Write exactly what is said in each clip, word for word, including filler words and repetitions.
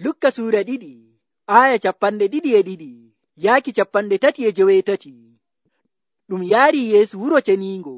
Lukka suura ɗiɗi aya capanɗe ɗiɗi e ɗiɗi yaaki capanɗe tati e joweetati. Ɗum yaari Yeesu wuro ceniingo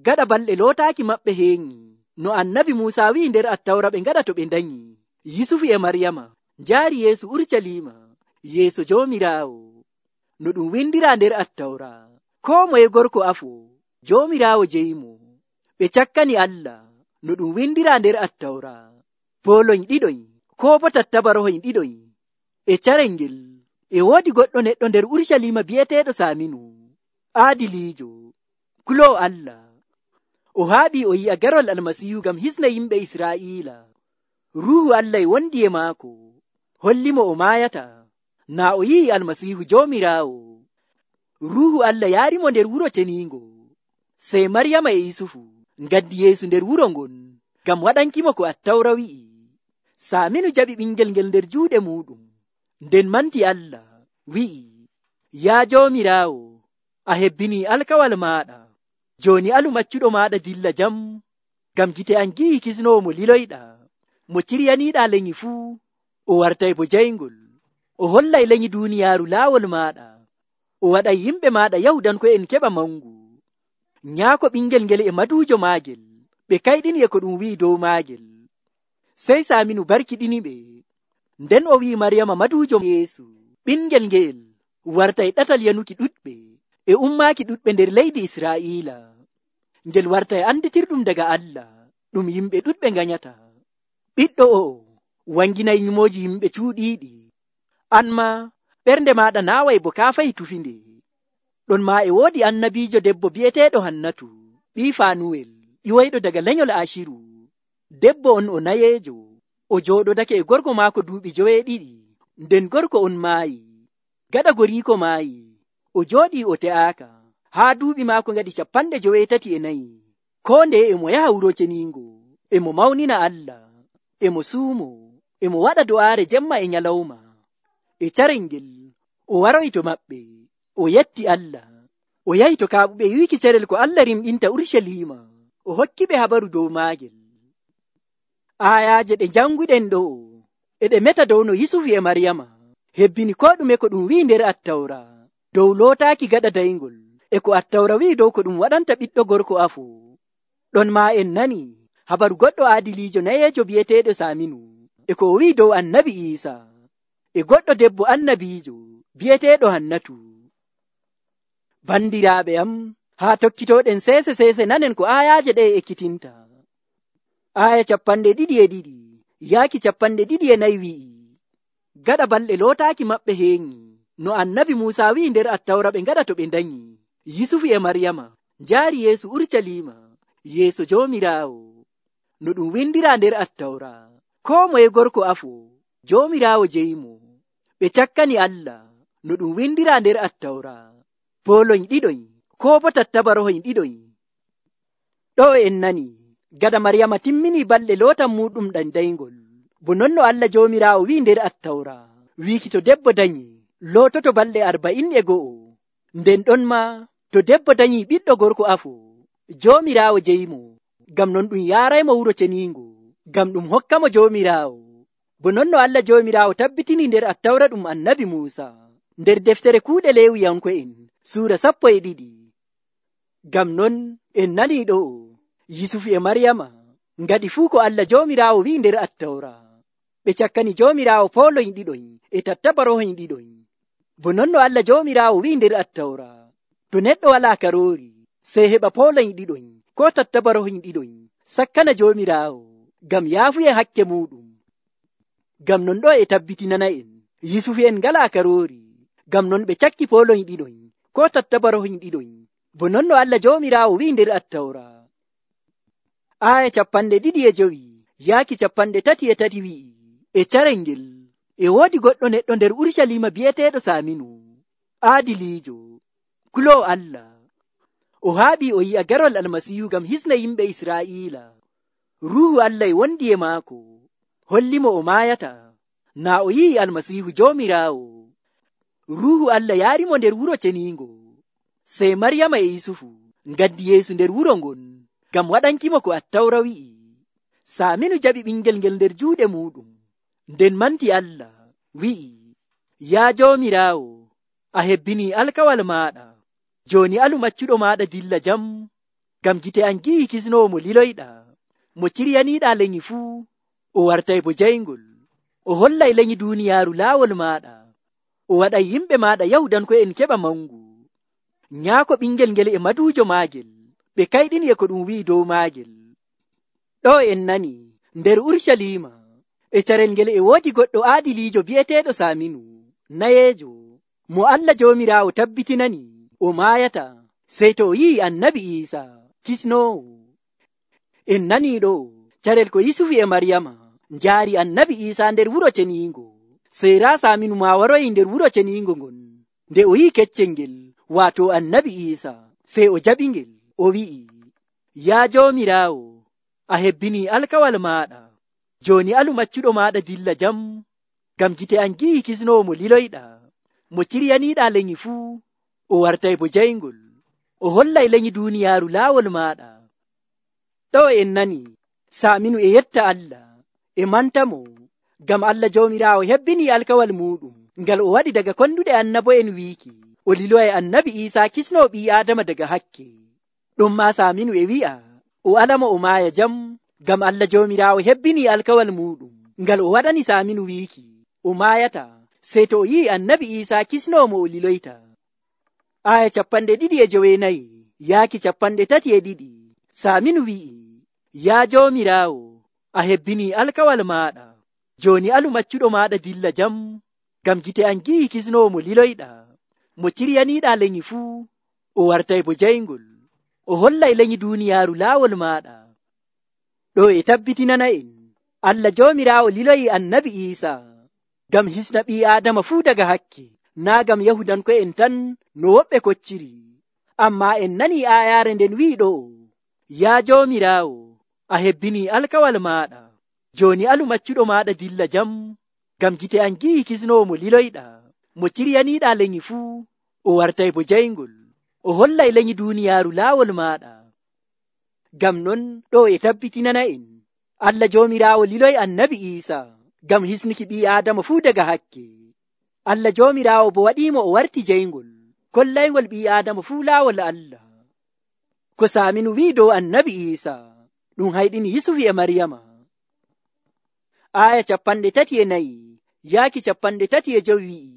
gaɗa balɗe lootaaki maɓɓe heeŋi, no annabi Muusa wi'i nder Attawra ɓe ngaɗa to ɓe ndanyi. Yusufu e Maryama njaari Yeesu Urucaliima yeeso Joomiraawo, no ɗum windiraa nder Attawra. Koo moye gorko afo Joomiraawo jeyimo. Ɓe cakkani Allah, no ɗum windiraa nder Attawra. Pooloñ ɗiɗoñ koo bo tattabarohoñ ɗiɗoñ. E carel ngel e woodi goɗɗo neɗɗo nder Urucaliima bi'eteeɗo Saaminu, aadiliijo, kuloowo Allah. O haaɓii o yi'a garol Almasiihu ngam hisna yimɓe Israa'iila. Ruuhu Allah e wondi e maako, hollimo o maayata naa o yi'i Almasiihu Joomiraawo. Ruuhu Allah yaarimo nder wuro ceniingo. Sey Maryama e Yusufu ngaddi Yeesu nder wuro ngon ngam waɗankimo ko Attawra wi'i. Saaminu jaɓi ɓingel ngel nder juuɗe muuɗum, nden manti Allah, wi'i, yaa Joomiraawo, a hebbinii alkawal maaɗa. Jooni alu maccuɗo maaɗa dilla jam, ngam gite am gi'i kisnoowo mo liloyɗa, mo ciryaniiɗaa lenyi fuu, o wartay bo jayngol. O hollay lenyi duuniyaaru laawol maaɗa. O waɗay yimɓe maaɗa Yahudanko'en keɓa mangu. Nyaako ɓingel ngel e maduujo maagel, ɓe kayɗini e ko ɗum wi'i dow maagel. Sey Saaminu barkiɗiniɓe, nden o wi'i Maryama maduujo Yeesu, ɓingel ngeel wartay ɗatal yanuki ɗuɗɓe e ummaaki ɗuɗɓe nder leydi Israa'iila. Ngel wartay anditirɗum daga Allah, ɗum yimɓe ɗuɗɓe nganyata. Ɓiɗɗo o'o wanginay nyumooji yimɓe cuuɗiiɗi. An ma ɓernde maaɗa naaway bo kaafay tufinde. Ɗon maa e woodi annabiijo debbo bi'eteeɗo Hannatu, ɓii Faanuwel, ƴiwoyɗo daga lenyol Aciru. Debbo on o nayeejo, o jooɗodake e gorko maako duuɓi joweeɗiɗi, nden gorko on maayi. Gaɗa goriiko maayi, o jooɗii o te'aaka, haa duuɓi maako ngaɗi capanɗe joweetati e nayi. Koo ndeye e mo yaha wuro ceniingo, e mo mawnina Allah, e mo suumo, e mo waɗa do'aare jemma e nyalawma. E carel ngel o waroy to maɓɓe, o yetti Allah. O yahi to kaaɓuɓe wiiki carel ko Allah rimɗinta Urucaliima, o hokki ɓe habaru dow maagel. Aayaaje ɗe janguɗen ɗo e ɗe meta dow no Yusufu e Maryama hebbini ko ɗume ko ɗum wi'i nder Attawra dow lootaaki gaɗa dayngol, e ko Attawra wi'i dow ko ɗum waɗanta ɓiɗɗo gorko afo. Ɗon maa en nani habaru goɗɗo aadiliijo nayeejo bi'eteeɗo Saaminu, e ko o wi'i dow annabi Iisa, e goɗɗo debbo annabiijo bi'eteeɗo Hannatu. Bandiraaɓe am, haa tokkitooɗen seese seese nanen ko aayaaje ɗe ekkitinta. Aya capanɗe ɗiɗi e ɗiɗi yaaki capanɗe ɗiɗi e nayi wi'i, gaɗa balɗe lootaaki maɓɓe heeŋi, no annabi Muusa wi'i nder Attawra ɓe ngaɗa to ɓe ndanyi. Yusufu e Maryama njaari Yeesu Urucaliima yeeso Joomiraawo, no ɗum windiraa nder Attawra. Koo moye gorko afo Joomiraawo jeyimo. Ɓe cakkani Allah, no ɗum windiraa nder Attawra. Pooloñ ɗiɗoñ koo bo tattabarohoñ ɗiɗoñ. Ɗo en nani gada Maryama timmini balɗe lootan muɗum ɗan dayngol, bo non no Allah Joomiraawo wi'i nder Attawra, wiiki to debbo danyi loototo balɗe arba'in e go'o. Nden ɗon ma to debbo danyi ɓiɗɗo gorko afo Joomiraawo jeyimo, ngam non ɗum yaaraymo wuro ceniingo, ngam ɗum hokkamo Joomiraawo. Bo non no Allah Joomiraawo tabbitini nder Attawra ɗum annabi Muusa, nder deftere kuuɗe Leewiyanko'en suura sappo e ɗiɗi. Ngam non en nani ɗo Yusufu e Maryama ngaɗi fuu ko Allah Joomiraawo wi'i nder Attawra. Ɓe cakkani Joomiraawo pooloñ ɗiɗoñ e tattabarohoñ ɗiɗoñ. Bo non no Allah Joomiraawo wi'i nder Attawra, to neɗɗo walaa karoori sey heɓa pooloñ ɗiɗoñ ko tattabarohoñ ɗiɗoñ sakkana Joomiraawo ngam yaafuye hakke muɗum. Ngam non ɗo e tabbitinana en Yusufu en ngalaa karoori, ngam non ɓe cakki pooloñ ɗiɗoñ ko tattabarohoñ ɗiɗoñ, bo non no Allah Joomiraawo wi'i nder Attawra. Aya capanɗe ɗiɗi e jowi yaaki capanɗe tati e tati wi'i, e carel ngel e woodi goɗɗo neɗɗo nder Urucaliima bi'eteeɗo Saaminu, aadiliijo, kuloowo Allah. O haaɓii o yi'a garol Almasiihu ngam hisna yimɓe Israa'iila. Ruuhu Allah e wondi e maako, hollimo o maayata naa o yi'i Almasiihu Joomiraawo. Ruuhu Allah yaarimo nder wuro ceniingo. Sey Maryama e Yusufu ngaddi Yeesu nder wuro ngon ngam waɗankimo ko Attawra wi'i. Saaminu jaɓi ɓingel ngel nder juuɗe muɗum, nden manti Allah wi'i, yaa Joomiraawo, a hebbini alkawal maaɗa, jooni alu maccuɗo maaɗa dilla jam, ngam gite am gi'i kisnoowo mo liloyɗa, mo ciryaniiɗa lenyi fuu, o wartay bo jayngol, o hollay lenyi duuniyaaru laawol maaɗa, o waɗay yimɓe maaɗa Yahudanko'en keɓa mangu. Nyaako ɓingel ngel e maduujo maagel, ɓe kayɗini e ko ɗum wi'i dow maagel. Ɗo en nani nder Urshalima e carel ngel e woodi goɗɗo aadiliijo bi'eteeɗo Saaminu, nayeejo, mo Allah Joomiraawo tabbitinani o maayata sey to o yi'i Annabi Iisaa kisnoowo. En nanii ɗo carel ko Yusufu e Maryama njaari Annabi Iisaa nder wuro ceniingo, sey raa Saaminu maa waroyi nder wuro ceniingo ngon. Nde o yi'i keccel ngel, waato Annabi Iisaa, sey o jaɓingel, o wi'i, yaa Joomiraawo, a hebbini alkawal maaɗa, jooni alu maccuɗo maaɗa dilla jam, ngam gite am gi'i kisnoowo mo liloyɗa, mo ciryaniiɗa lenyi fuu, o wartay bo jayngol, o hollay lenyi duuniyaaru laawol maaɗa. Ɗo en nani Saaminu e yetta Allah, e mantamo, ngam Allah Joomiraawo hebbini alkawal muɗum ngal o waɗi daga konduɗe annabo'en wiiki, o liloyay Annabi Iisaa kisnoo ɓii Aadama daga hakke. Ɗum maa Saaminu e wi'a o alamo o maaya jam, ngam Allah Joomiraawo hebbini alkawal muɗum ngal o waɗani Saaminu wiiki, o maayata sey to o yi'i Annabi Iisaa kisnoo mo o liloyta. Aya capanɗe ɗiɗi e joweenayi yaaki capanɗe tati e ɗiɗi. Saaminu wi'i, yaa Joomiraawo, a hebbini alkawal maaɗa, jooni alu maccuɗo maaɗa dilla jam, ngam gite am gi'i kisnoowo mo liloyɗa, mo ciryaniiɗa lenyi fuu, o wartay bo jayngol, o hollay lenyi duuniyaaru laawol maaɗa. Ɗo e tabbitinana en Allah Joomiraawo liloyi Annabi Iisaa ngam hisna ɓii Aadama fuu daga hakke, naa ngam Yahudanko'en tan no woɓɓe kocciri. Ammaa en nanii aayaare nden wi'i ɗo, yaa Joomiraawo, a hebbini alkawal maaɗa, jooni alu maccuɗo maaɗa dilla jam, ngam gite am gi'i kisnoowo mo liloyɗa, mo ciryaniiɗa lenyi fuu, o wartay bo jayngol, o hollay lenyi duuniyaaru laawol maaɗa. Ngam non ɗo e tabbitinana en Allah Joomiraawo liloyi Annabi Iisaa ngam hisnuki ɓii Aadama fuu daga hakke. Allah Joomiraawo bo waɗiimo o warti jayngol, kollaygol ɓii Aadama fuu laawol Allah. Ko Saaminu wi'i dow Annabi Iisaa ɗum hayɗini Yusufu e Maryama. Aya capanɗe tati e nayi yaaki capanɗe tati e jowi wi'i,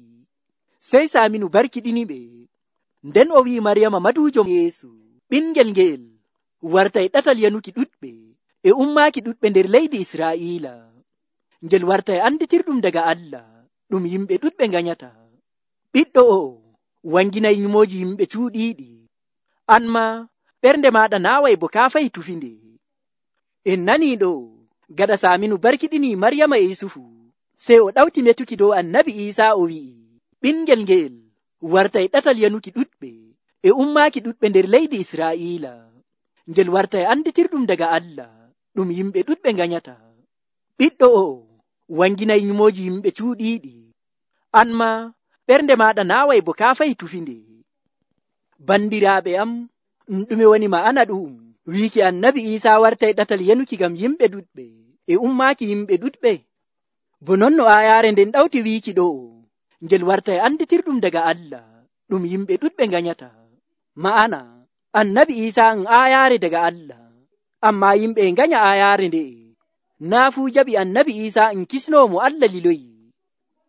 sey Saaminu barkiɗini ɓe, nden o wi'i Maryama maduujo Yeesu, ɓingel ngeel wartay ɗatal yanuki ɗuɗɓe e ummaaki ɗuɗɓe nder leydi Israa'iila, ngel wartay anditirɗum daga Allah, ɗum yimɓe ɗuɗɓe nganyata. Ɓiɗɗo o wanginay nyumooji yimɓe cuuɗiiɗi, an ma ɓernde maaɗa naaway bo kaafay tufinde. En nanii ɗo gaɗa Saaminu barkiɗini Maryama e Yusufu, sey o ɗawti metuki dow Annabi Iisaa o wi'i, ɓingel ngeel wartay ɗatal yanuki ɗuɗɓe e ummaaki ɗuɗɓe nder leydi Israa'iila, ngel wartay anditirɗum daga Allah, ɗum yimɓe ɗuɗɓe nganyata. Ɓiɗɗo o wanginay nyumooji yimɓe cuuɗiiɗi, an ma ɓernde maaɗa naaway bo kaafay tufinde. Bandiraaɓe am, ɗume woni ma'ana ɗum wiiki Annabi Iisaa wartay ɗatal yanuki ngam yimɓe ɗuɗɓe e ummaaki yimɓe ɗuɗɓe? Bo non no aayaare nden ɗawti wiiki ɗo, ngel wartay anditirɗum daga Allah, ɗum yimɓe ɗuɗɓe nganyata. Ma'ana Annabi Iisaa en aayaare daga Allah, ammaa yimɓe e nganya aayaare nde'e. Naa fuu jaɓi Annabi Iisaa en kisnoo mo Allah liloyi.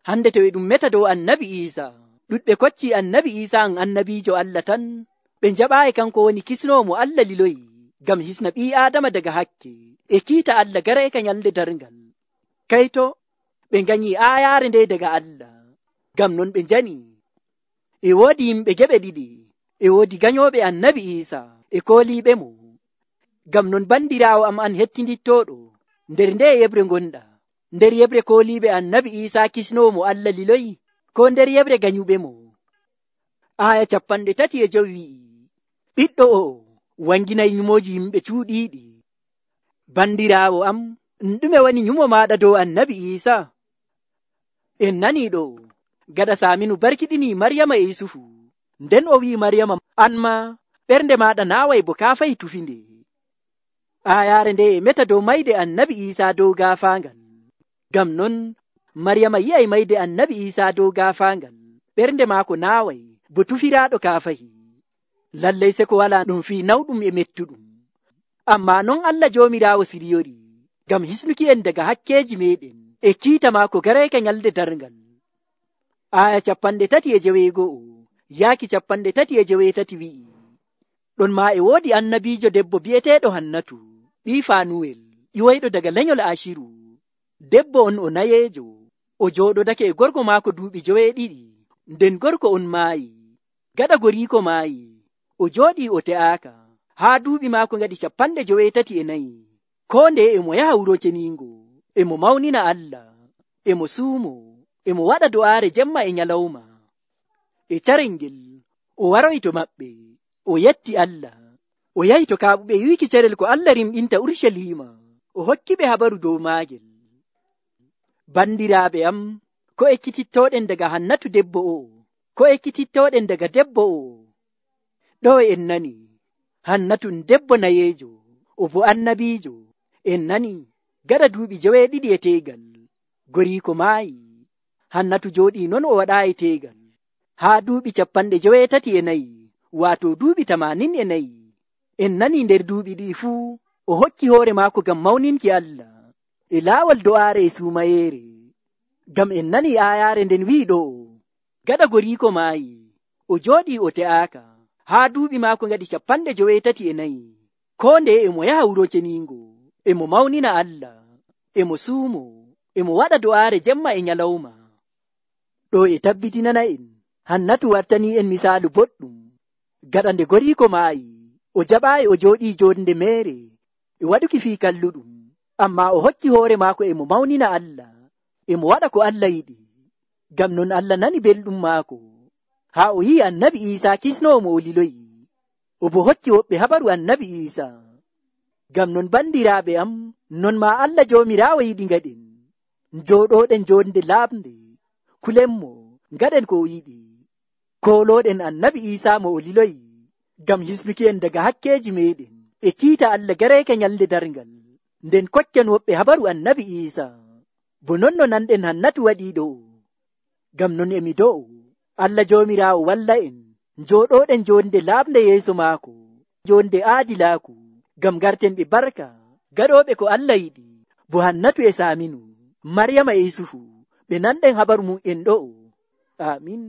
Hande to e ɗum meta dow Annabi Iisaa, ɗuɗɓe kocci Annabi Iisaa en annabiijo Allah tan, ɓe njaɓaayi kanko woni kisnoo mo Allah liloyi ngam hisna ɓii Aadama daga hakke e kiita Allah garayka nyalde darngal. Kayto ɓe nganyi aayaare nde daga Allah, ngam non ɓe njani. E woodi yimɓe geɓe ɗiɗi, e woodi ganyooɓe Annabi Iisaa e kooliiɓe mo. Ngam non bandiraawo am an hettindittooɗo, nder nde yebre ngonɗa, nder yebre kooliiɓe Annabi Iisaa kisnoo mo Allah liloyi, ko nder yebre ganyuɓe mo? Aya capanɗe tati e jowi wi'i, ɓiɗɗo o wanginay nyumooji yimɓe cuuɗiiɗi. Bandiraawo am, ɗume woni nyumo maaɗa dow Annabi Iisaa? En nanii ɗo gaɗa Saaminu barkiɗini Maryama e Yusufu, nden o wi'i Maryama, an ma ɓernde maaɗa naaway bo kaafay tufinde. Aayaare nde e meta dow mayde Annabi Iisaa dow gaafaangal. Ngam non Maryama yi'ay mayde annabi Isaa dow gaafaangal, ɓernde maako naaway bo tufiraaɗo kaafahi. Lallay se ko walaa ɗum fii nawɗum e mettuɗum. Ammaa non Allah Joomiraawo siriyori ngam hisnuki en daga hakkeeji meeɗen e kiita maako garayka nyalde darngal. Aya capanɗe tati e jeweego'o yaaki capanɗe tati e jeweetati wi'i, ɗon maa e woodi annabiijo debbo bi'eteeɗo Hannatu, ɓii Faanuwel, ƴiwoyɗo daga lenyol Aciru. Debbo on o nayeejo, o jooɗodake e gorko maako duuɓi joweeɗiɗi, nden gorko on maayi. Gaɗa goriiko maayi, o jooɗii o te'aaka, haa duuɓi maako ngaɗi capanɗe joweetati e nayi. Koo nde emo yaha wuro ceniingo, emo mawnina Allah, emo suumo, emo waɗa do'aare jemma e nyalawma. E carel ngel, o waroy to maɓɓe, o yetti Allah, o yahi to kaaɓuɓe wiiki carel ko Allah rimɗinta Urshalima, o hokkiɓe habaru dow maagel. Bandiraaɓe am, ko ekkitittooɗen daga Hannatu debbo o'o, ko ekkitittooɗen daga debbo o'o. Ɗo en nani, Hannatu debbo nayeejo, o bo annabiijo. En nani, gaɗa duuɓi joweeɗiɗi e teegal, goriiko maayi. Hannatu jooɗii non o waɗaayi teegal, haa duuɓi capanɗe joweetati e nayi, waato duuɓi tamanin e nayi. En nani nder duuɓi ɗi fuu, o hokki hoore maako ngam mawninki Allah, e laawol do'aare e suumayeere. Ngam en nani aayaare nden wi'i ɗo, gaɗa goriiko maayi, o jooɗii o te'aaka, haa duuɓi maako ngaɗi capanɗe joweetati e nayi. Koo nde emo yaha wuro ceniingo, emo mawnina Allah, emo suumo, emo waɗa do'aare jemma e nyalawma. Ɗo e tabbitinana en, Hannatu wartanii en misaalu boɗɗum. Gaɗa nde goriiko maayi, o jaɓaayi o jooɗii joonde meere e waɗuki fii kalluɗum, ammaa o hokki hoore maako emo mawnina Allah, emo waɗa ko Allah yiɗi. Ngam non Allah nani belɗum maako, haa o yi'i annabi Iisaa kisnoowo mo o liloyi, o bo hokki woɓɓe habaru annabi Iisaa. Ngam non bandiraaɓe am, non maa Allah Joomiraawo yiɗi ngaɗen, njooɗooɗen joonde laaɓnde, kulenmo, ngaɗen ko o yiɗi, koolooɗen annabi Iisaa mo o liloyi, ngam hisnuki en daga hakkeeji meeɗen e kiita Allah garayka nyalde darngal, nden kokken woɓɓe habaru annabi Iisaa, bo non no nanɗen Hannatu waɗii ɗo. Ngam non emi do'o, Allah Joomiraawo walla en, njooɗooɗen joonde laaɓnde yeeso maako, joonde aadilaaku, ngam garten ɓe barka, gaɗooɓe ko Allah yiɗi, bo Hannatu e Saaminu, Maryama e Yusufu, ɓe nanɗen habaru mum en ɗo'o. Amin.